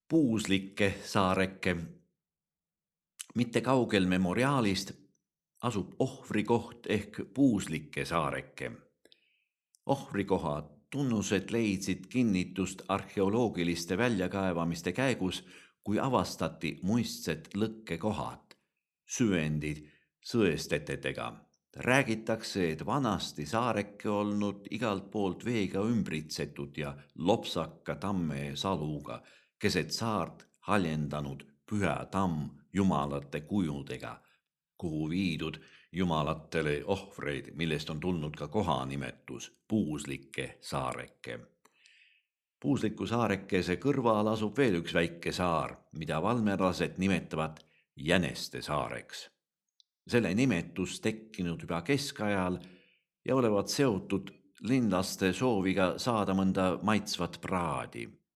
Puuslikke saareke. Mitte kaugel memoriaalist asub ohvrikoht ehk Puuslike saareke. Ohvrikoha tunnused leidsid kinnitust arheoloogiliste väljakaevamiste käigus, kui avastati muistsed lõkkekohad, süvendid sõestetetega. Räägitakse, et vanasti saareke olnud igalt poolt veega ümbritsetud ja lopsaka tamme saluga, keset saart haljendanud püha tamm jumalate kujudega, kuhu viidud jumalatele ohvreid, millest on tulnud ka kohanimetus Puuslike saareke. Puusliku saarekese kõrval asub veel üks väike saar, mida valmerlased nimetavad Jäneste saareks. Selle nimetus tekkinud juba keskajal ja olevat seotud linlaste sooviga saada mõnda maitsvat praadi.